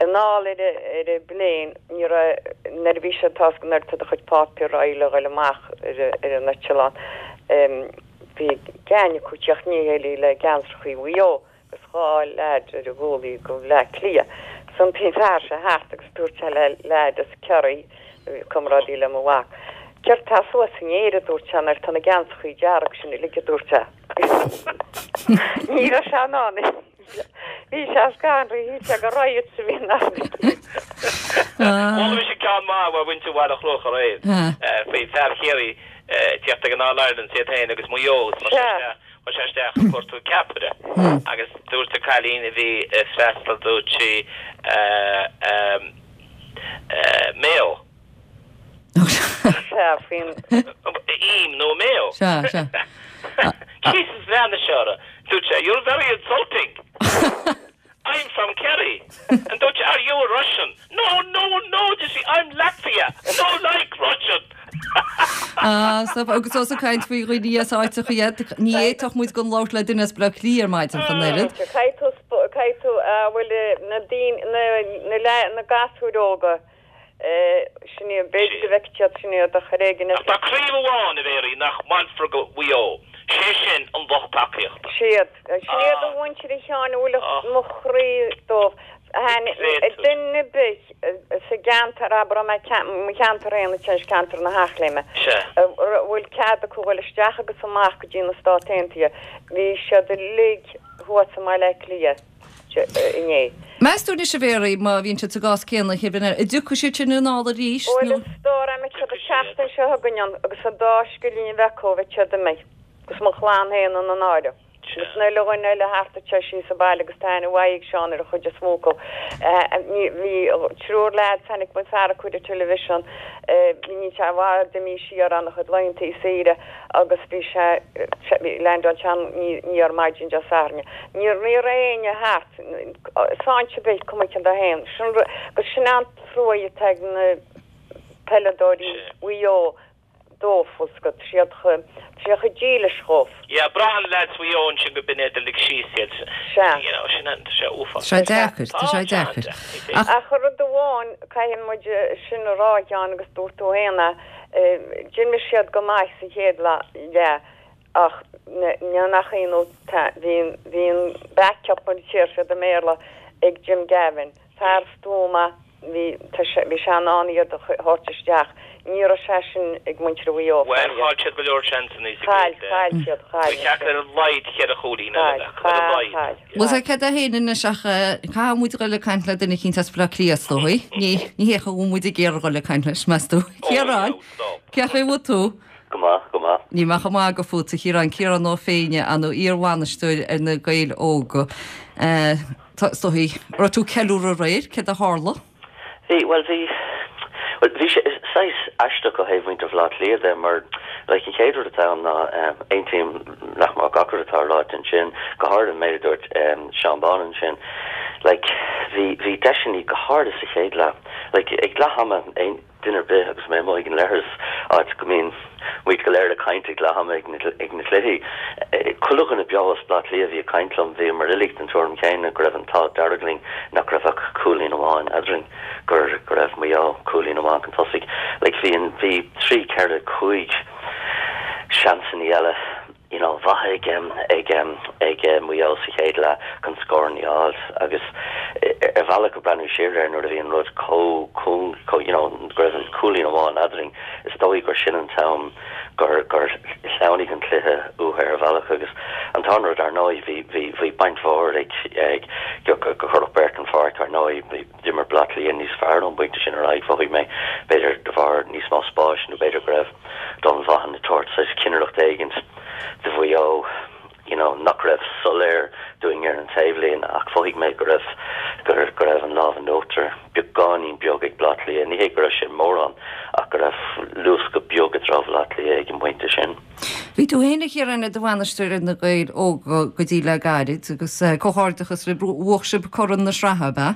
Anall ar ar an bplane ní raibh nuair a bhí sé tasc nuair tá do chuid páipéar le dhul amach ar ar an eitleán bhí gang acu teach ní héilí le geansachaí Mhaigh Eo agus dhá leaid ar a gcúlaí go Bleá Cliath. San bhí fear sé thart agus dúirt sé le leaid as Ciarraí comrádaí le mo mhac. Céard tá suas in Éire dúirt sé nuair tá na geansachaí dearg sin uilig a dúirt sé. Ní raibh sé in ann. Bhí sé scanraithe sé go riot sa bhí Bhuel bhí sé ceann maith a bhaint bhile chloch ar éad. Faoi fear Chiarraí teacht ag an All Ireland sé féin agus Maigh Eo sé isteach ag cuartú ceapaire agus dúirt an cailín a bhí freastal dúirt sí Mayo. faoin Im nó Mayo. Sea sea. Jesus leanna seora. Dúirt sé you're very insulting. I'm from Kerry. And dúirt sé, are you a Russian? No, no, no, you see, I'm Latvia. No like Russian. Ah, so agus os caint faoi dhaoine as áiteacha iad ní fhéadfadh muid gan labhairt le duine as Bleá Cliath ar maidin chun oiread. Caithfidh caithfidh bhfuil na daoine na na na gasúir óga sin é b'fhéidir go bhfeicfidh siad sin iad a churéigin Ach tá craobh amháin a Mhéirí nach mbainfear go Mhaigh Eo. Sé sin an lucht tacaíochta. Siad sin iad a mhuintir a Sheáin bhfuil mo chroí dóibh. Duine ar bith sa gceantar abair mo cheantar féin ceantar na hEachléime. bhfuil cead acu dul isteach agus amach go dtí na Stáit Aontaithe. Bhí siad uilig thuas i mBaile Átha Cliath inné. Meas tú anois a Mhéirí má bhíonn siad sa gcás céanna chéanna an dtiocfaidh siad sin anall arís Bhfuil stór am siad an tseachtain seo chugainn agus an dá scilling a bheith acu bheadh siad imithe agus mo chlann féin ina n-áireamh. Agus na luin eile thart te sí sa baile agus tá an bhaigh Seán ar a chuid is mó acu. Bhí triúr leaid tháinig mo fear acu ar television ní sé bhd mí siar an chud laethanta saoire agus bhí sé landáil sean ní ar maidin Dé Sathairn. Ní ní réine thart sáinte bith cuma cin a haon agus sin an trua atá ag na peileadóirí Mhaigh Eo dóibh go siad siad dílis dóibh. Ja, braitheann lads Mhaigh Eo sin go b'fhéidir lig síos iad. Sea. You know, sin an sé uafásach. Sé deacair, tá sé deacair. Ach Ach rud amháin caithfidh muid sin a rá Sheáin agus dúirt tú féin d'imir siad go maith sa chéad leath ach ní nach ionadh bhí bhí an backup an tír siad i mBéarla ag Jim Gavin. Fear stuama bhí tá sé bhí sé in ann iad a thabhairt isteach. Ní raibh sé sin ag muintir Mhaigh Eo. Bhuel, chaill siad go leor seansanna sa Chaill, gcéad chaill siad, chaill. Ba cheart ar a laghad cheithre chúilín eile a bheith acu, ar a laghad. Bhuel, tá cead a haon anois ach caithfidh muid dul ag caint le duine eicínt as Baile Átha Cliath, is dóigh. Ní ní hé go bhfuil muid ag iarraidh dul ag caint leis, meas tú? Ciarán, cén chaoi a bhfuil tú? Go maith, go maith. Níl mé chomh maith ag fút, a Chiaráin, Ciarán Ó Féinne, an iar-bhainisteoir ar na Gaeil Óga. Tá, is dóigh, raibh tú ag ceiliúradh aréir, céard a tharla? Bhí, bhuel bhí, bhuel bhí sé saghas aisteach ó thaobh mhuintir Bhaile Átha Cliath de mar like an chéad rud atá ann ná aontaím nach mór gach rud atá ráite ansin, go háirithe an méid a dúirt Seán Bán ansin. Like bhí, bhí deiseanna go háirithe sa chéad leath, like ag leath ama aon duine ar bith agus mé amuigh ag an leithreas, áit go mbíonn muid go léir ag caint ag leath ama ag na ag na cluichí. Chuile dhuine beo as Baile Átha Cliath a bhí ag caint liom, bhíomar uilig den tuairim chéanna go raibh an t-ádh dearg linn nach raibh ach cúilín amháin eadrainn, gur go raibh Maigh Eo cúilín amháin chun tosaigh. Like bhí an bhí trí, ceithre, cúig seansanna eile you know mhaith ag ag ag Maigh Eo sa chéad leath chun scóranna a fháil agus ar bhealach ag breathnú siar air nuair a bhí an rud chomh cúng chomh you know go raibh an cúilín amháin eadrainn is dóigh gur sin an t-am gur gur shleamhnaigh an cluiche uathu ar bhealach agus an t-aon rud ar ndóigh bhí bhí bhí baint mhór ag ag go go cuireadh beirt an pháirc ar ndóigh bhí d'imir Baile Átha Cliath níos fearr ón bpointe sin ar aghaidh mhothaigh mé b'fhéidir de bharr níos mó spáis nó b'fhéidir go raibh Donal Vaughan ag tabhairt saghas cinnireacht éigint do Mhaigh Eo you know nach raibh soiléir dúinn ar an taobhlíne ach mhothaigh mé go raibh go go raibh an lámh in uachtar beagáinín beag ag Baile Átha Cliath. Ní hé go raibh sé mórán ach go raibh luascadh beag i dtreo Bhaile Átha Cliath ag an bpointe sin. Bhí tú féin a Chiaráin i do bhainisteoir ar na Gaeil Óga go dtí le gairid agus comhghairdeachas libh bhuaigh sibh corn na sraithe, ab ea?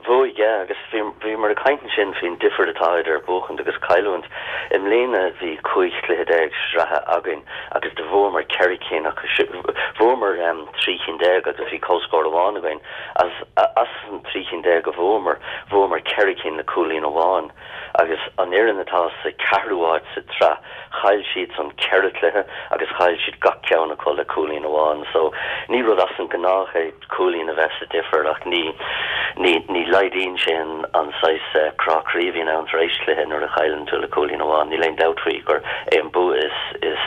Bhuaigh, yeah, agus bhí bhíomar ag caint ansin faoin difear atá idir buachaint agus cailliúint. I mbliana bhí cúig chluiche déag sraithe againn agus do bhuamar ceithre cinn acu bhuamar trí chinn déag agus bhí comhscór amháin againn. As as an trí chinn déag a bhuamar, bhuamar ceithre cinn le cúilín amháin. Agus an fhoireann atá sa ceathrú háit sa tsraith, chaill siad san ceithre chluiche agus chaill siad gach ceann acu le cúilín amháin. So ní rud as an gnách é cúilín a bheith sa difear ach ní ní ní laghdaíonn sé an an saghas crá croí a bhíonn ann tar éis cluiche nuair a chailleann tú le cúilín amháin. Níl aon dabht faoi gur é an bua is is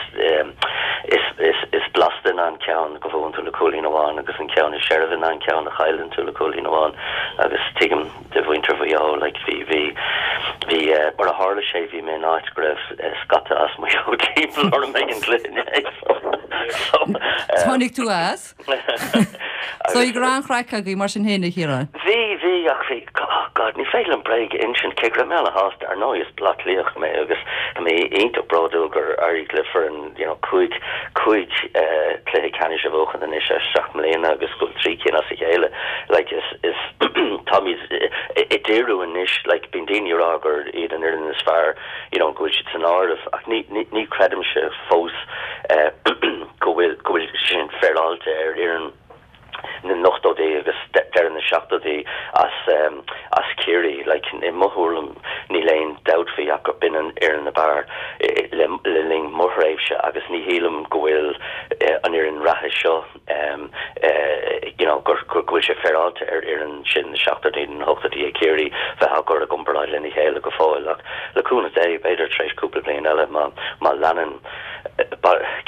is is is blasta ná an ceann go bhuann tú le cúilín amháin agus an ceann is seirbhe ná an ceann a chailleann tú le cúilín amháin agus tuigim do mhuintir Mhaigh Eo like bhí bhí bhí mar a tharla sé bhí mé in áit go raibh scata as Maigh Eo timpeall orm ag an gcluiche inné so so Tháinig tú as? So go raibh an-chraic agaibh mar sin féin a Chiaráin. Bhí bhí ach bhí oh God ní féidir liom bréag a insint cé go raibh mé ana-shásta ar ndóigh is Baile Átha Cliathach mé agus tá mé iontach bródúil gur éirigh le foireann you know cúig cúig cluiche ceannais a bhuachan anois as seacht mbliana agus go bhfuil trí cinn as a chéile like is is táimid ag díriú anois like bíonn daoine ag rá gur iad an fhoireann is fearr you know go bhfuil siad san áireamh ach ní ní ní creidimse fós go bhfuil go bhfuil sin féaráilte ar fhoireann na n-ochtóidí agus deireadh na seachtóidí as as Ciarraí like i mo thuairim níl aon dabht faoi ach gur b'in an fhoireann ab fhearr le le linn mo thréimhse agus ní shílim go bhfuil an fhoireann reatha seo you know gur go bhfuil sé féaráilte ar fhoireann sin na seachtóidí na hochtóidí ag Ciarraí bheith á gcur i gcomparáid lena chéile go fóill ach le cúnamh Dé b'fhéidir tar éis cúpla bliain eile má má leanann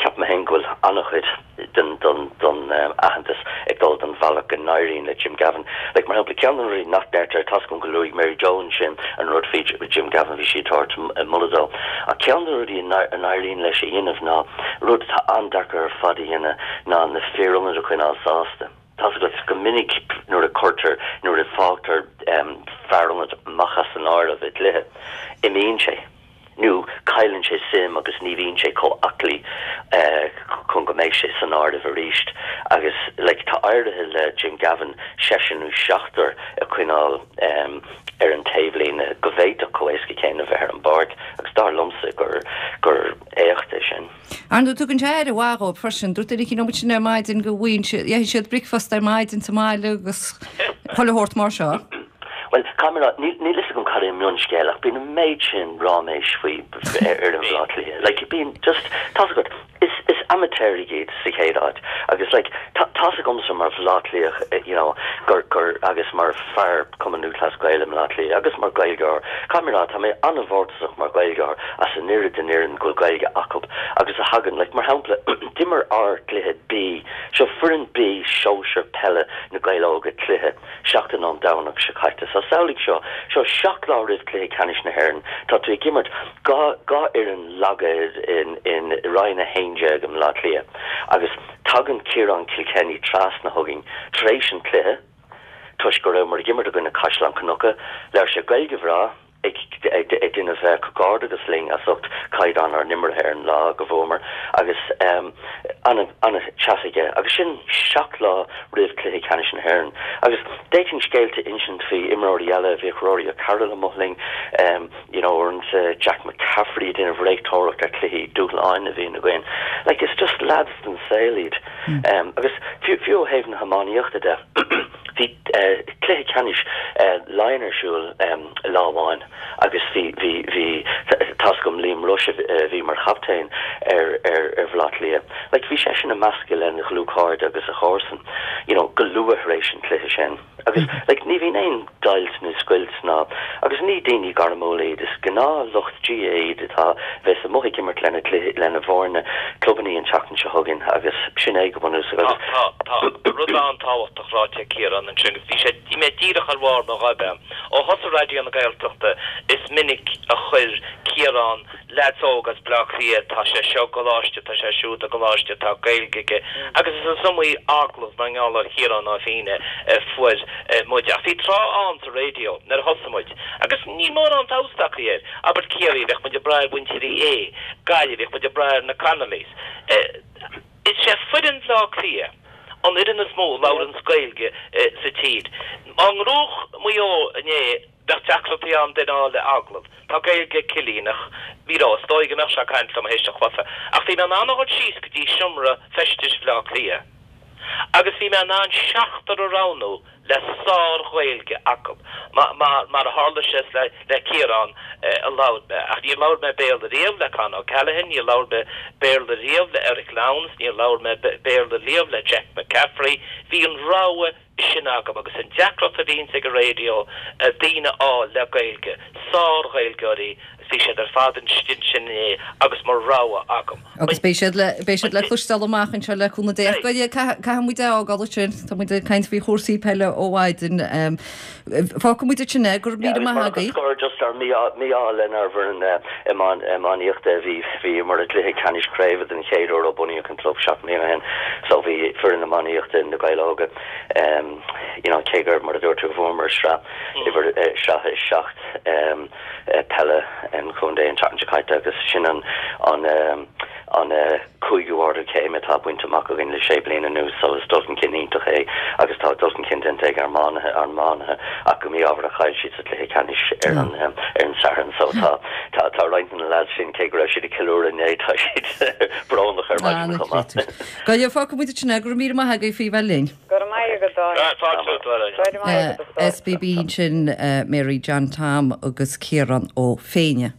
ceapaim féin go bhfuil an-chuid den don don aitheantas ag dul don bhealach go n-éiríonn le Jim Gavin. Like mar shampla ceann de na rudaí nach ndeirtear tá a fhios agam go luaigh Mary Jo ansin an rud faoi Jim Gavin bhí sí ag tabhairt moladh dó. Ach ceann de na rudaí a n-éiríonn leis a dhéanamh ná rud atá an-deacair ar fad a dhéanamh ná na fir ionaid a choinneáil sásta. Tá a fhios agat go minic nuair a chuirtear nuair a fágtar fear ionaid amach as an áireamh i gcluiche, imíonn sé. nó cailleann sé suim agus ní bhíonn sé chomh aclaí chun go mbeidh sé san áireamh arís agus like tá éirithe le Jim Gavin seisear nó seachtar a choinneáil ar an taobhlíne go bhféadfadh chomh éasca céanna bheith ar an bpáirc agus dar liomsa gur gur éacht é sin. Ar ndóigh tugann sé aire mhaith dhóibh freisin, dúirt duine eicínt liom ansin ar maidin go bhfaigheann siad, itheann siad bricfeasta ar maidin sa mbaile agus chuile shórt mar seo. Bhuel, caithfidh mé a rá, níl níl fhios agam cad é an mionscéal ach bíonn an méid sin ráiméis faoi ar fhoireann Bhaile Átha Cliath. Like, bíonn just, tá's agat, is is amaitéaraigh iad sa chéad áit agus like, tá tá's agamsa mar Bhaile Átha Cliathach, you know, gur gur agus mar fear Cumann Lúthchleas Gael i mBaile Átha Cliath agus mar Ghaeilgeoir, caithfidh mé a rá, tá mé an-mhórtasach mar Ghaeilgeoir as an oiread den fhoireann go bhfuil Gaeilge acu agus a thagann, like, mar shampla, d'imir ár gcluiche B, seo foireann B sóisear peile na Gaeil Óga cluiche, seachtain ón Domhnach seo caite. So samhlaigh seo, seo seacht lá roimh Cluiche Ceannais na hÉireann, tá tú ag imirt dhá, dhá fhoireann laga in, in Roinn a haon déag i mBaile Átha Cliath agus tagann Ciarán Kilkenny trasna chugainn tar éis an chluiche toisc go rabhamar ag imirt i gcoinne Caisleán Cnucha, labhair sé Gaeilge bhreá, ag déanamh comhghairdeachas linn as ucht caighdeán ár n-imeartha ar an lá go bhuamar agus an-chat aige agus sin seacht lá roimh Cluiche Ceannais na hÉireann agus d'fhéadfainn scéalta a insint faoi imreoirí eile, bhíodh Rory O'Carroll amuigh linn you know uaireanta Jack McCaffrey ag déanamh réiteoireacht ar chluichí dúshláin a bhíonn againn. Like it's just lads den saol iad agus fiú ó thaobh na hiománaíochta de Bhí cluiche ceannais Laighean ar siúl lá amháin agus bhí, bhí, bhí, tá's agam Liam Rushe a bhí mar chaptaen ar, ar, ar Bhaile Átha Cliath. Like bhí seisean ag meascadh lena dhlúthchairde agus a chomharsain, you know, go luath tar éis an chluiche sin. Agus like ní bhíonn aon deighilt nó scoilt ná, agus ní daoine gairmiúla iad, is gnáthlucht GAA iad atá, bheas amuigh ag imirt lena gcluiche, lena bhfoirne clubannaí an tseachtain seo chugainn agus sin é go bunúsach agus. Tá, tá, tá rud an-tábhachtach ráite ag Ciarán ansin agus bhí sé, bhí mé díreach ar bharr mo ghoib. Ó thosaigh Raidió na Gaeltachta is minic a chuir Ciarán leaids óga as Bleá Cliath, tá sé seo i gcoláiste, tá sé siúd i gcoláiste, tá Gaeilge aige agus is iomaí agallamh mar gheall ar Chiarán Ó Féinne a fuair muid. Ach bhí tráth ann sa raidió nuair a thosaigh muid agus níl mórán feabhas tagtha air, abair Ciarraí, bheadh muid ag brath ar mhuintir Uí Aodha, Gaillimh, bheadh muid ag brath ar na Connollys. Is é foireann Bhleá Cliath an fhoireann is mó a labhranns Gaeilge sa tír. Dá ngnóthódh Maigh Eo inné, bheadh deacrachtaí ann duine a fháil le agallamh. Tá Gaeilge ag Cillian ach ní raibh, is dóigh go mbeadh sé ag caint liom théis an chluiche. Ach bhí mé in ann a dhul síos go dtí seomra feistis Bhleá Cliath agus bhí mé in ann seachtar a roghnú le sár-Ghaeilge acu. Mar a tharla sé is le Ciarán a labhair mé. Ach níor labhair mé Béarla riamh le Con O'Callaghan, níor labhair mé Béarla riamh le Eric Lowndes, níor labhair mé Béarla riamh le Jack McCaffrey. Bhí an rogha sin agam agus an deacracht a bhíonns ag an raidió daoine a fháil le Gaeilge, sár-Ghaeilgeoirí, bhí siad ar fad istigh ansin inné agus mo rogha agam. Agus beidh siad le, beidh siad le cloisteáil amach anseo le cúnamh Dé. Ach caithfidh muid é a fhágáil ansin, tá muid ag caint faoi chúrsaí peile ó mhaidin. Fágfaidh muid ansin é, go raibh míle maith agaibh. Scor just ar mí-ádh lenár bhfoireann iománaíochta a bhí, bhíomar i gcluiche ceannais craoibhe den chéad uair ó bunaíodh an club seacht mbliana ó shin. So bhí foireann iománaíochta na Gaeil Óga, you know, cé gur, mar a dúirt tú, bhuamar sraith uimhir, sraith a seacht peile an chontae an tseachtain seo caite agus sin an an an cúigiú ardú céime atá bainte amach againn le sé bliana anuas so is dul chun cinn iontach é agus tá dul chun cinn déanta ag ár n-iománaithe ár n-iománaithe ach go mí-ádhmhar chaill siad sa chluiche ceannais ar an ar an Satharn so tá tá tá roinnt de na lads sin cé go raibh siad ag ceiliúradh inné tá siad brónach ar maidin chomh maith. Go leor fágfaidh muid ansin é, go raibh míle maith agaibh faoi bheith linn. Go raibh maith agat, Áine. Fáilte romhat, Áine. SBB ansin, Mary John Tom agus Ciarán Ó Féinne.